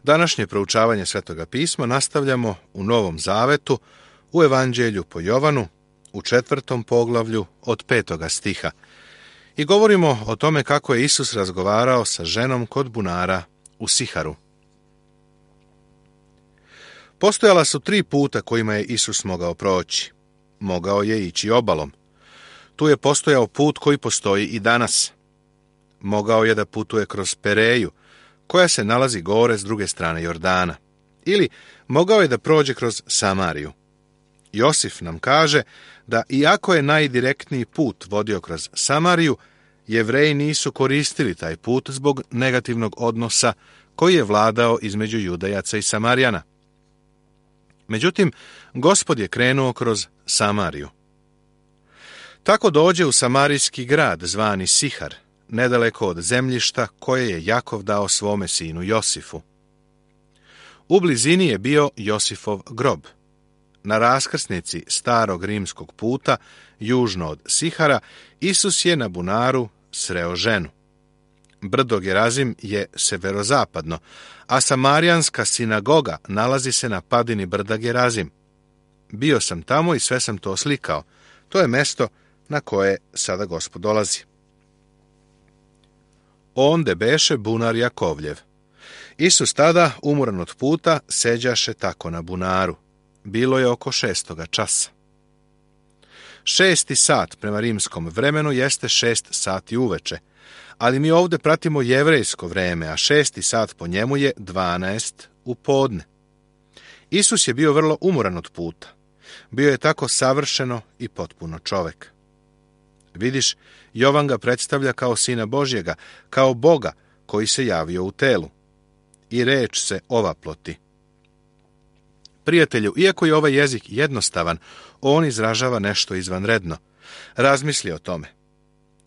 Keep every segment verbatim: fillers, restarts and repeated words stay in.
Današnje proučavanje Svetoga pisma nastavljamo u Novom Zavetu, u Evanđelju po Jovanu, u četvrtom poglavlju od petoga stiha. I govorimo o tome kako je Isus razgovarao sa ženom kod bunara u Siharu. Postojala su tri puta kojima je Isus mogao proći. Mogao je ići obalom. Tu je postojao put koji postoji i danas. Mogao je da putuje kroz Pereju, koja se nalazi gore s druge strane Jordana. Ili mogao je da prođe kroz Samariju. Josif nam kaže da iako je najdirektniji put vodio kroz Samariju, Jevreji nisu koristili taj put zbog negativnog odnosa koji je vladao između Judejaca i Samarijana. Međutim, Gospod je krenuo kroz Samariju. Tako dođe u samarijski grad zvani Sihar, nedaleko od zemljišta koje je Jakov dao svome sinu Josifu. U blizini je bio Josifov grob. Na raskrsnici starog rimskog puta, južno od Sihara, Isus je na bunaru sreo ženu. Brdo Gerazim je severozapadno, a samarijanska sinagoga nalazi se na padini brda Gerazim. Bio sam tamo i sve sam to oslikao. To je mesto na koje sada Gospod dolazi. Onde beše bunar Jakovljev. Isus tada, umoran od puta, seđaše tako na bunaru. Bilo je oko šestoga časa. Šesti sat prema rimskom vremenu jeste šest sati uveče, ali mi ovdje pratimo jevrejsko vreme, a šesti sat po njemu je dvanaest u podne. Isus je bio vrlo umoran od puta. Bio je tako savršeno i potpuno čovek. Vidiš, Jovan ga predstavlja kao sina Božjega, kao Boga koji se javio u telu. I reč se ovaploti. Prijatelju, iako je ovaj jezik jednostavan, on izražava nešto izvanredno. Razmisli o tome.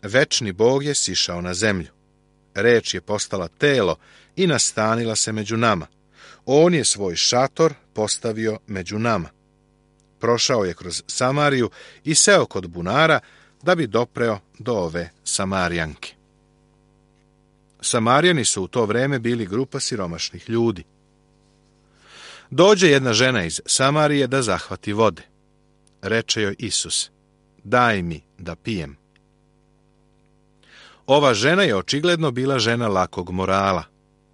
Večni Bog je sišao na zemlju. Reč je postala telo i nastanila se među nama. On je svoj šator postavio među nama. Prošao je kroz Samariju i seo kod bunara da bi dopreo do ove Samarijanke. Samarijani su u to vreme bili grupa siromašnih ljudi. Dođe jedna žena iz Samarije da zahvati vode. Reče joj Isus, daj mi da pijem. Ova žena je očigledno bila žena lakog morala.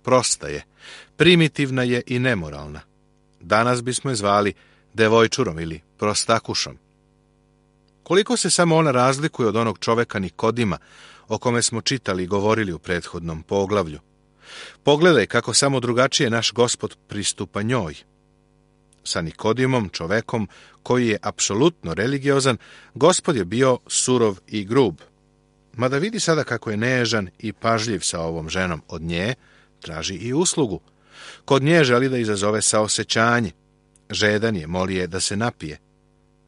Prosta je, primitivna je i nemoralna. Danas bismo je zvali devojčurom ili prostakušom. Koliko se samo ona razlikuje od onog čoveka Nikodima, o kome smo čitali i govorili u prethodnom poglavlju. Pogledaj kako samo drugačije naš Gospod pristupa njoj. Sa Nikodimom, čovekom koji je apsolutno religiozan, Gospod je bio surov i grub. Mada vidi sada kako je nežan i pažljiv sa ovom ženom. Od nje traži i uslugu. Kod nje želi da izazove saosećanje. Žedan je, moli je da se napije.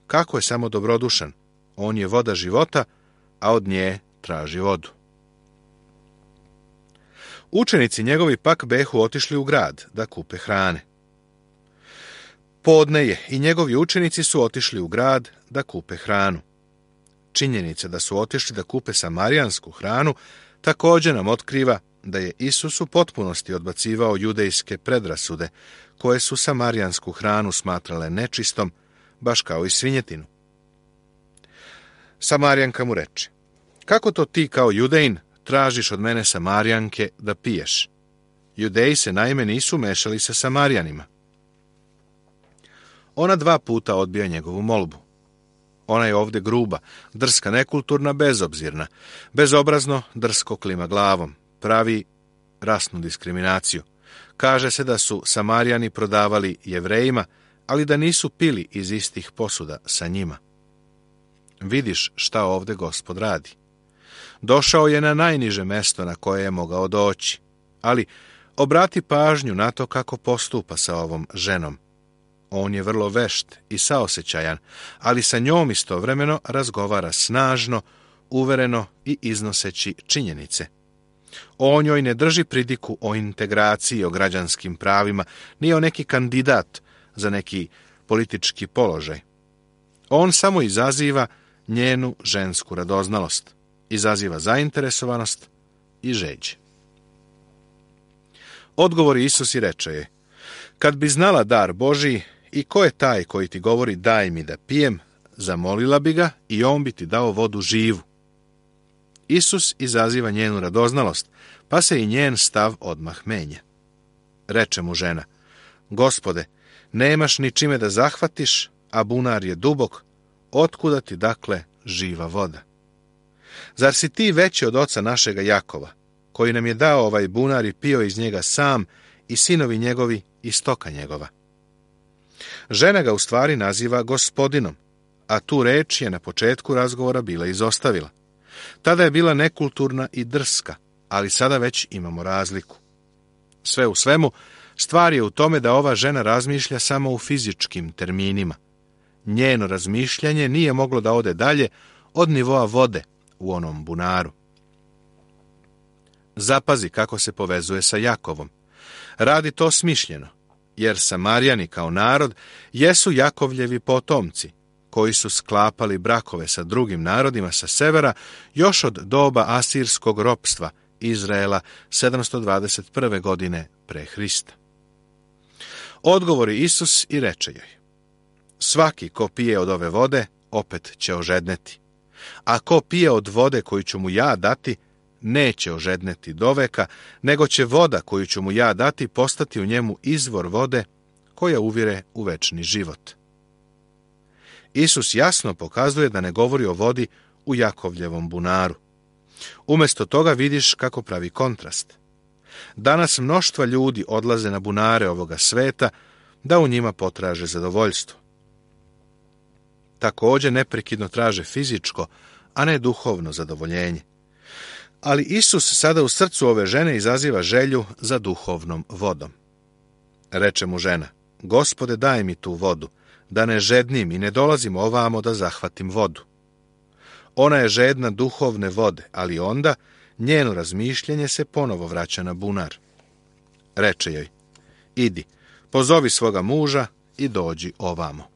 Kako je samo dobrodušan. On je voda života, a od nje traži vodu. Učenici njegovi pak behu otišli u grad da kupe hrane. Podne je i njegovi učenici su otišli u grad da kupe hranu. Činjenica da su otišli da kupe samarijansku hranu također nam otkriva da je Isus u potpunosti odbacivao judejske predrasude koje su samarijansku hranu smatrale nečistom, baš kao i svinjetinu. Samarijanka mu reče, kako to ti kao judejin tražiš od mene Samarijanke da piješ? Judeji se naime nisu mešali sa Samarijanima. Ona dva puta odbija njegovu molbu. Ona je ovdje gruba, drska, nekulturna, bezobzirna, bezobrazno drsko klima glavom, pravi rasnu diskriminaciju. Kaže se da su Samarijani prodavali Jevrejima, ali da nisu pili iz istih posuda sa njima. Vidiš šta ovdje Gospod radi. Došao je na najniže mesto na koje je mogao doći, ali obrati pažnju na to kako postupa sa ovom ženom. On je vrlo vešt i saosećajan, ali sa njom istovremeno razgovara snažno, uvereno i iznoseći činjenice. On joj ne drži pridiku o integraciji, o građanskim pravima, ni o neki kandidat za neki politički položaj. On samo izaziva njenu žensku radoznalost, izaziva zainteresovanost i žeđ. Odgovori Isus i reče je: kad bi znala dar Božiji i ko je taj koji ti govori daj mi da pijem, zamolila bi ga i on bi ti dao vodu živu. Isus izaziva njenu radoznalost, pa se i njen stav odmah menja. Reče mu žena: Gospode, nemaš ni čime da zahvatiš, a bunar je dubok, otkuda ti dakle živa voda? Zar si ti veći od oca našega Jakova, koji nam je dao ovaj bunar i pio iz njega sam, i sinovi njegovi i stoka njegova? Žena ga u stvari naziva gospodinom, a tu reč je na početku razgovora bila izostavila. Tada je bila nekulturna i drska, ali sada već imamo razliku. Sve u svemu, stvar je u tome da ova žena razmišlja samo u fizičkim terminima. Njeno razmišljanje nije moglo da ode dalje od nivoa vode u onom bunaru. Zapazi kako se povezuje sa Jakovom. Radi to smišljeno, jer Samarijani kao narod jesu Jakovljevi potomci, koji su sklapali brakove sa drugim narodima sa severa još od doba asirskog ropstva Izraela sedamsto dvadeset prve. godine pre Hrista. Odgovori Isus i reče joj: svaki ko pije od ove vode, opet će ožedneti. A ko pije od vode koju ću mu ja dati, neće ožedneti doveka, nego će voda koju ću mu ja dati postati u njemu izvor vode koja uvire u večni život. Isus jasno pokazuje da ne govori o vodi u Jakovljevom bunaru. Umjesto toga vidiš kako pravi kontrast. Danas mnoštva ljudi odlaze na bunare ovoga sveta da u njima potraže zadovoljstvo. Također neprekidno traže fizičko, a ne duhovno zadovoljenje. Ali Isus sada u srcu ove žene izaziva želju za duhovnom vodom. Reče mu žena: Gospode, daj mi tu vodu, da ne žednim i ne dolazim ovamo da zahvatim vodu. Ona je žedna duhovne vode, ali onda njeno razmišljanje se ponovo vraća na bunar. Reče joj: idi, pozovi svoga muža i dođi ovamo.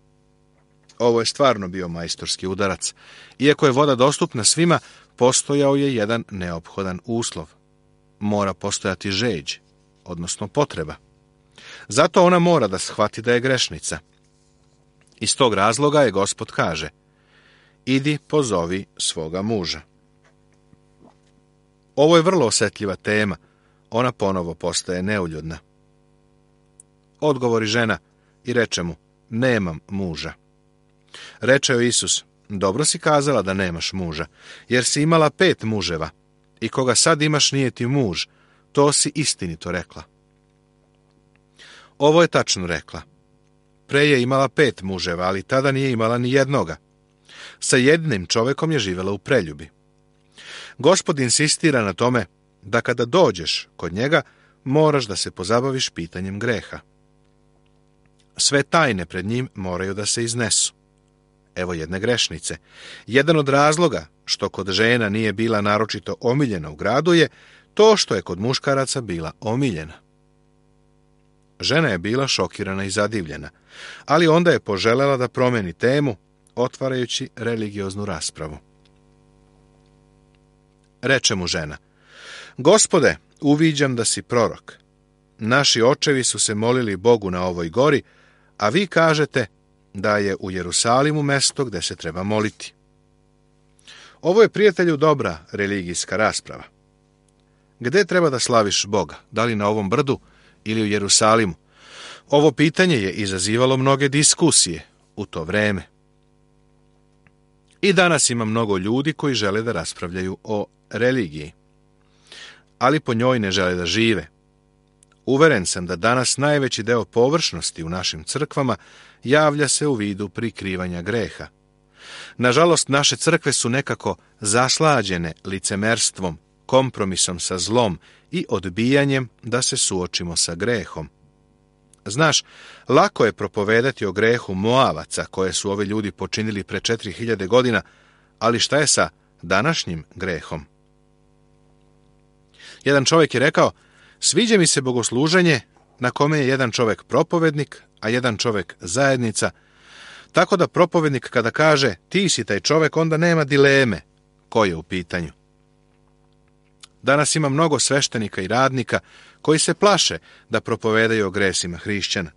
Ovo je stvarno bio majstorski udarac. Iako je voda dostupna svima, postojao je jedan neophodan uslov. Mora postojati žeđ, odnosno potreba. Zato ona mora da shvati da je grešnica. Iz tog razloga je Gospod kaže: idi, pozovi svoga muža. Ovo je vrlo osjetljiva tema. Ona ponovo postaje neuljudna. Odgovori žena i reče mu: nemam muža. Reče joj Isus: dobro si kazala da nemaš muža, jer si imala pet muževa, i koga sad imaš nije ti muž, to si istinito rekla. Ovo je tačno rekla. Pre je imala pet muževa, ali tada nije imala ni jednoga. Sa jednim čovekom je živjela u preljubi. Gospod insistira na tome da kada dođeš kod njega, moraš da se pozabaviš pitanjem greha. Sve tajne pred njim moraju da se iznesu. Evo jedne grešnice. Jedan od razloga što kod žena nije bila naročito omiljena u gradu je to što je kod muškaraca bila omiljena. Žena je bila šokirana i zadivljena, ali onda je poželela da promeni temu, otvarajući religioznu raspravu. Reče mu žena: Gospode, uviđam da si prorok. Naši očevi su se molili Bogu na ovoj gori, a vi kažete da je u Jerusalimu mesto gde se treba moliti. Ovo je, prijatelju, dobra religijska rasprava. Gde treba da slaviš Boga? Da li na ovom brdu ili u Jerusalimu? Ovo pitanje je izazivalo mnoge diskusije u to vreme. I danas ima mnogo ljudi koji žele da raspravljaju o religiji, ali po njoj ne žele da žive. Uveren sam da danas najveći deo površnosti u našim crkvama javlja se u vidu prikrivanja greha. Nažalost, naše crkve su nekako zaslađene licemerstvom, kompromisom sa zlom i odbijanjem da se suočimo sa grehom. Znaš, lako je propovedati o grehu Moavaca koje su ovi ljudi počinili pre četiri hiljade godina, ali šta je sa današnjim grehom? Jedan čovjek je rekao: sviđa mi se bogosluženje na kome je jedan čovjek propovednik, a jedan čovjek zajednica, tako da propovednik kada kaže ti si taj čovjek, onda nema dileme ko je u pitanju. Danas ima mnogo sveštenika i radnika koji se plaše da propovedaju o gresima hrišćana.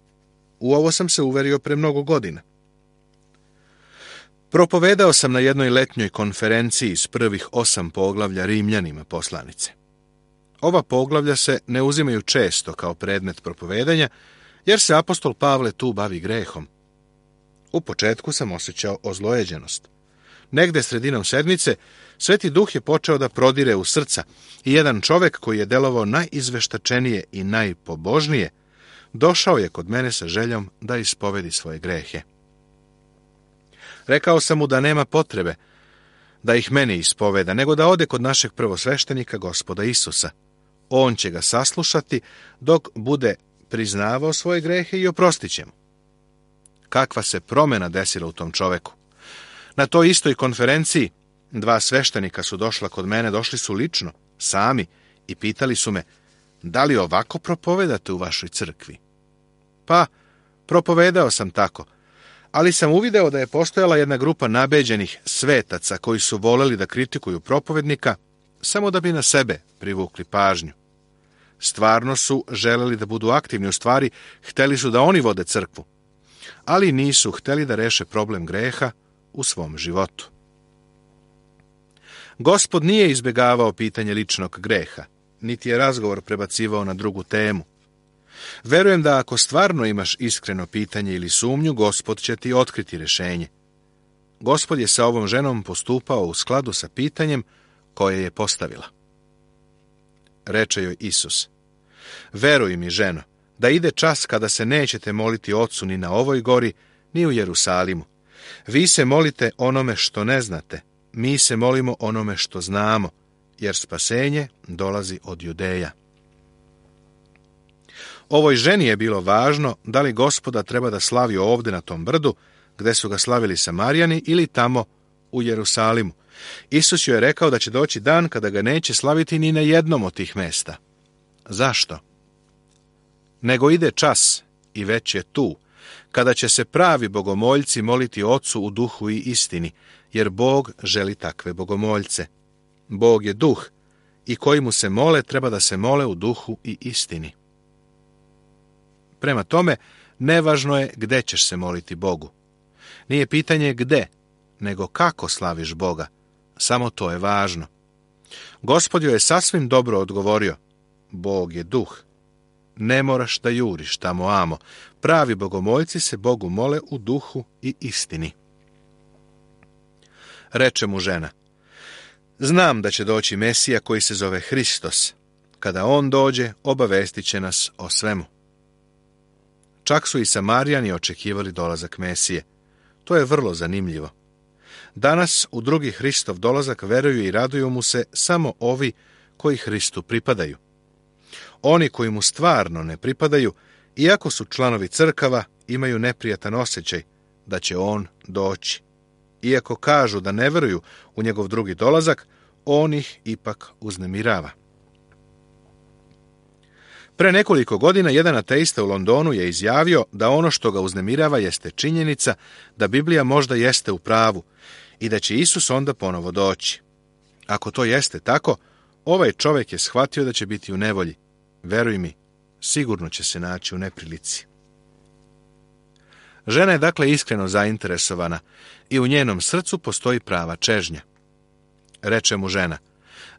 U ovo sam se uverio pre mnogo godina. Propovedao sam na jednoj letnjoj konferenciji iz prvih osam poglavlja Rimljanima poslanice. Ova poglavlja se ne uzimaju često kao predmet propovedanja, jer se apostol Pavle tu bavi grehom. U početku sam osjećao ozlojeđenost. Negde sredinom sedmice Sveti Duh je počeo da prodire u srca i jedan čovek koji je delovao najizveštačenije i najpobožnije, došao je kod mene sa željom da ispovedi svoje grehe. Rekao sam mu da nema potrebe da ih meni ispoveda, nego da ode kod našeg prvosveštenika, Gospoda Isusa. On će ga saslušati dok bude priznavao svoje grehe i oprostit će mu. Kakva se promjena desila u tom čoveku. Na toj istoj konferenciji dva sveštenika su došla kod mene, došli su lično, sami, i pitali su me, da li ovako propovedate u vašoj crkvi? Pa, propovedao sam tako, ali sam uvideo da je postojala jedna grupa nabeđenih svetaca koji su voleli da kritikuju propovednika samo da bi na sebe privukli pažnju. Stvarno su želeli da budu aktivni, u stvari hteli su da oni vode crkvu, ali nisu hteli da reše problem greha u svom životu. Gospod nije izbjegavao pitanje ličnog greha, niti je razgovor prebacivao na drugu temu. Verujem da ako stvarno imaš iskreno pitanje ili sumnju, Gospod će ti otkriti rješenje. Gospod je sa ovom ženom postupao u skladu sa pitanjem koje je postavila. Reče joj Isus, veruj mi, ženo, da ide čas kada se nećete moliti Ocu ni na ovoj gori, ni u Jerusalimu. Vi se molite onome što ne znate, mi se molimo onome što znamo, jer spasenje dolazi od Judeja. Ovoj ženi je bilo važno da li Gospoda treba da slavi ovdje na tom brdu, gde su ga slavili Samarijani, ili tamo u Jerusalimu. Isus joj je rekao da će doći dan kada ga neće slaviti ni na jednom od tih mesta. Zašto? Nego ide čas, i već je tu, kada će se pravi bogomoljci moliti Ocu u duhu i istini, jer Bog želi takve bogomoljce. Bog je duh, i koji mu se mole treba da se mole u duhu i istini. Prema tome, nevažno je gde ćeš se moliti Bogu. Nije pitanje gde, nego kako slaviš Boga. Samo to je važno. Gospod joj je sasvim dobro odgovorio. Bog je duh. Ne moraš da juriš tamo amo. Pravi bogomoljci se Bogu mole u duhu i istini. Reče mu žena, znam da će doći Mesija koji se zove Hristos. Kada on dođe, obavestit će nas o svemu. Čak su i Samarijani očekivali dolazak Mesije. To je vrlo zanimljivo. Danas u drugi Hristov dolazak veruju i raduju mu se samo ovi koji Hristu pripadaju. Oni koji mu stvarno ne pripadaju, iako su članovi crkava, imaju neprijatan osjećaj da će on doći. Iako kažu da ne veruju u njegov drugi dolazak, on ih ipak uznemirava. Pre nekoliko godina jedan ateista u Londonu je izjavio da ono što ga uznemirava jeste činjenica da Biblija možda jeste u pravu i da će Isus onda ponovo doći. Ako to jeste tako, ovaj čovjek je shvatio da će biti u nevolji. Veruj mi, sigurno će se naći u neprilici. Žena je dakle iskreno zainteresovana i u njenom srcu postoji prava čežnja. Reče mu žena,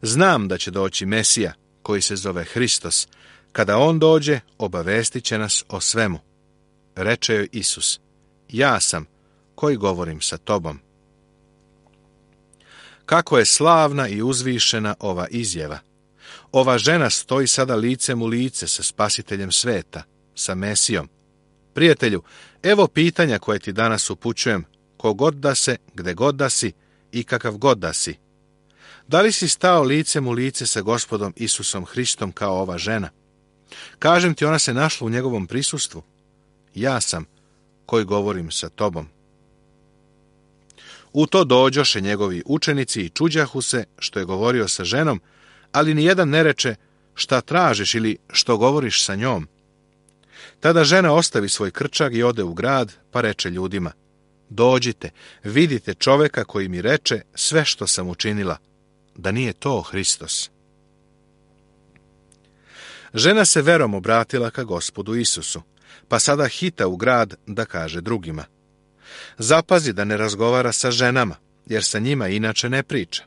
znam da će doći Mesija, koji se zove Hristos. Kada on dođe, obavestit će nas o svemu. Reče joj Isus, ja sam koji govorim sa tobom. Kako je slavna i uzvišena ova izjava. Ova žena stoji sada licem u lice sa Spasiteljem sveta, sa Mesijom. Prijatelju, evo pitanja koje ti danas upućujem, kogod da se, gde god da si i kakav god da si. Da li si stao licem u lice sa Gospodom Isusom Hristom kao ova žena? Kažem ti, ona se našla u njegovom prisustvu. Ja sam koji govorim sa tobom. U to dođoše njegovi učenici i čuđahu se što je govorio sa ženom, ali nijedan ne reče šta tražiš ili što govoriš sa njom. Tada žena ostavi svoj krčag i ode u grad, pa reče ljudima, dođite, vidite čoveka koji mi reče sve što sam učinila, da nije to Hristos. Žena se verom obratila ka Gospodu Isusu, pa sada hita u grad da kaže drugima. Zapazi da ne razgovara sa ženama, jer sa njima inače ne priča.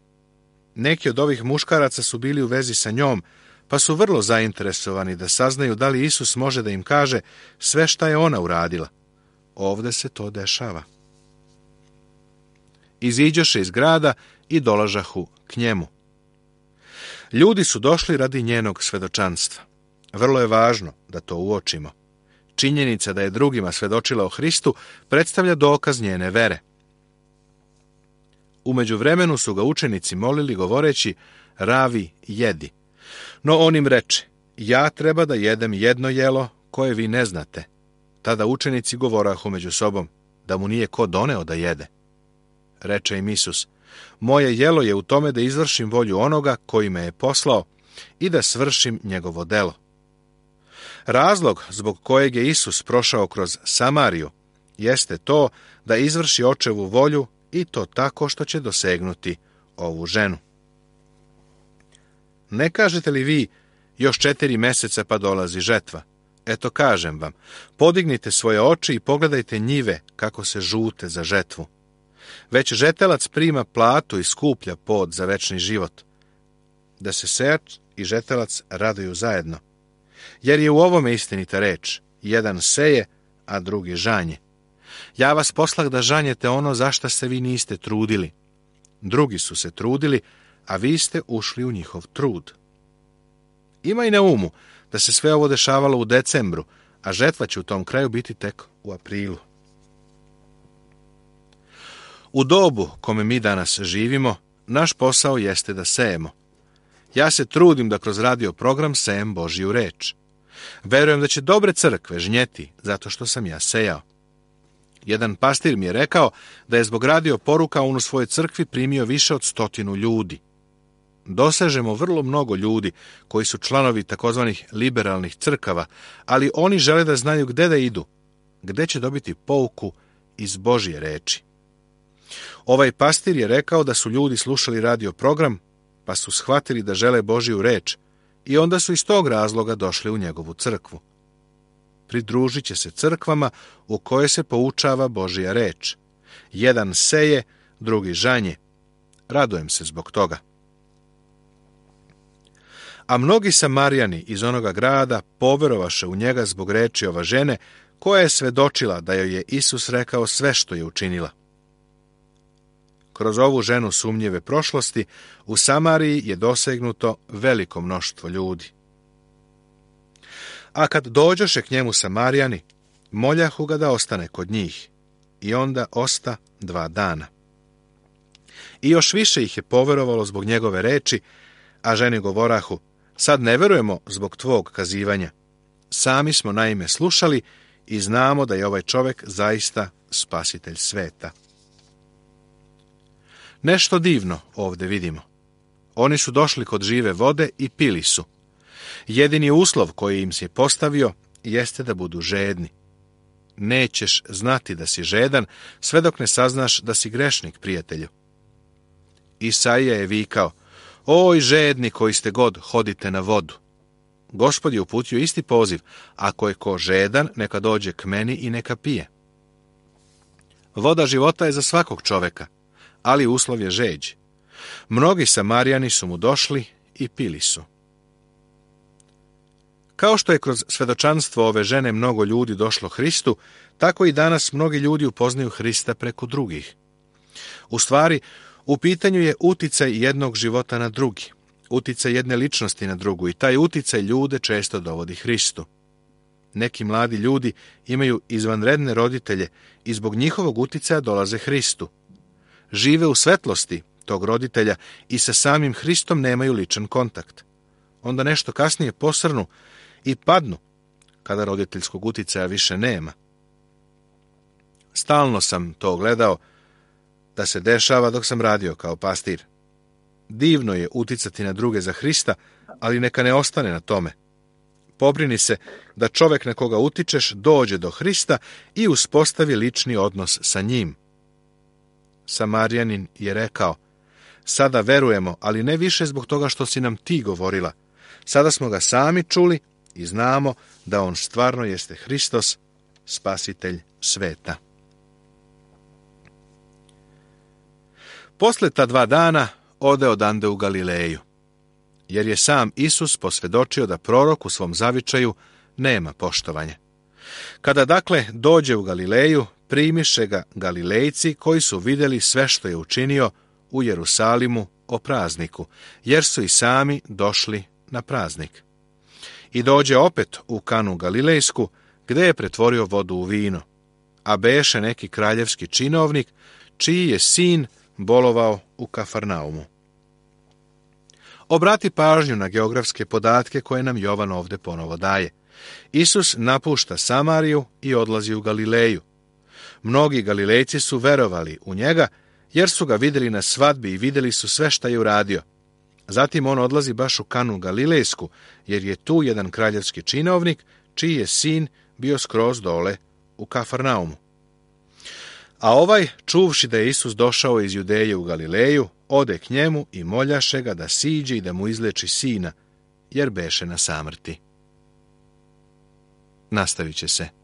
Neki od ovih muškaraca su bili u vezi sa njom, pa su vrlo zainteresovani da saznaju da li Isus može da im kaže sve šta je ona uradila. Ovde se to dešava. Iziđoše iz grada i dolažahu k njemu. Ljudi su došli radi njenog svedočanstva. Vrlo je važno da to uočimo. Činjenica da je drugima svedočila o Hristu predstavlja dokaz njene vere. U međuvremenu su ga učenici molili govoreći, ravi, jedi. No on im reče, ja treba da jedem jedno jelo koje vi ne znate. Tada učenici govorahu među sobom, da mu nije ko doneo da jede. Reče im Isus, moje jelo je u tome da izvršim volju onoga koji me je poslao i da svršim njegovo delo. Razlog zbog kojeg je Isus prošao kroz Samariju jeste to da izvrši očevu volju i to tako što će dosegnuti ovu ženu. Ne kažete li vi, još četiri meseca pa dolazi žetva? Eto kažem vam, podignite svoje oči i pogledajte njive kako se žute za žetvu. Već žetelac prima platu i skuplja pod za večni život, da se sejač i žetelac raduju zajedno. Jer je u ovome istinita reč, jedan seje, a drugi žanje. Ja vas poslah da žanjete ono za šta se vi niste trudili. Drugi su se trudili, a vi ste ušli u njihov trud. Imaj na umu da se sve ovo dešavalo u decembru, a žetva će u tom kraju biti tek u aprilu. U dobu kome mi danas živimo, naš posao jeste da sejemo. Ja se trudim da kroz radio program sejem Božju reč. Verujem da će dobre crkve žnjeti zato što sam ja sejao. Jedan pastir mi je rekao da je zbog radio poruka on u svojoj crkvi primio više od stotinu ljudi. Dosežemo vrlo mnogo ljudi koji su članovi takozvanih liberalnih crkava, ali oni žele da znaju gde da idu, gde će dobiti pouku iz Božje reči. Ovaj pastir je rekao da su ljudi slušali radio program, pa su shvatili da žele Božju reč i onda su iz tog razloga došli u njegovu crkvu. Pridružit će se crkvama u koje se poučava Božja reč. Jedan seje, drugi žanje. Radujem se zbog toga. A mnogi Samarijani iz onoga grada poverovaše u njega zbog reči ova žene, koja je svedočila da joj je Isus rekao sve što je učinila. Kroz ovu ženu sumnjive prošlosti u Samariji je dosegnuto veliko mnoštvo ljudi. A kad dođoše k njemu Samarijani, moljahu ga da ostane kod njih, i onda osta dva dana. I još više ih je poverovalo zbog njegove reči, a ženi govorahu, sad ne verujemo zbog tvog kazivanja. Sami smo naime slušali i znamo da je ovaj čovjek zaista spasitelj sveta. Nešto divno ovdje vidimo. Oni su došli kod žive vode i pili su. Jedini uslov koji im se postavio jeste da budu žedni. Nećeš znati da si žedan sve dok ne saznaš da si grešnik, prijatelju. Isaija je vikao, oj žedni koji ste god, hodite na vodu. Gospod je uputio isti poziv, ako je ko žedan, neka dođe k meni i neka pije. Voda života je za svakog čoveka, ali uslov je žeđ. Mnogi Samarijani su mu došli i pili su. Kao što je kroz svedočanstvo ove žene mnogo ljudi došlo Hristu, tako i danas mnogi ljudi upoznaju Hrista preko drugih. U stvari, u pitanju je uticaj jednog života na drugi, uticaj jedne ličnosti na drugu i taj uticaj ljude često dovodi Hristu. Neki mladi ljudi imaju izvanredne roditelje i zbog njihovog uticaja dolaze Hristu. Žive u svetlosti tog roditelja i sa samim Hristom nemaju ličan kontakt. Onda nešto kasnije posrnu i padnu, kada roditeljskog uticaja više nema. Stalno sam to gledao da se dešava dok sam radio kao pastir. Divno je uticati na druge za Hrista, ali neka ne ostane na tome. Pobrini se da čovjek na koga utičeš dođe do Hrista i uspostavi lični odnos sa njim. Samarijanin je rekao, sada verujemo, ali ne više zbog toga što si nam ti govorila. Sada smo ga sami čuli i znamo da on stvarno jeste Hristos, spasitelj sveta. Posle ta dva dana ode odande u Galileju, jer je sam Isus posvjedočio da prorok u svom zavičaju nema poštovanja. Kada dakle dođe u Galileju, primiše ga Galilejci koji su vidjeli sve što je učinio u Jerusalimu o prazniku, jer su i sami došli na praznik. I dođe opet u Kanu Galilejsku, gdje je pretvorio vodu u vino, a beše neki kraljevski činovnik, čiji je sin bolovao u Kafarnaumu. Obrati pažnju na geografske podatke koje nam Jovan ovdje ponovo daje. Isus napušta Samariju i odlazi u Galileju. Mnogi Galilejci su verovali u njega, jer su ga vidjeli na svadbi i vidjeli su sve šta je uradio. Zatim on odlazi baš u Kanu Galilejsku, jer je tu jedan kraljevski činovnik, čiji je sin bio skroz dole u Kafarnaumu. A ovaj, čuvši da je Isus došao iz Judeje u Galileju, ode k njemu i moljaše ga da siđe i da mu izleči sina, jer beše na samrti. Nastavit će se.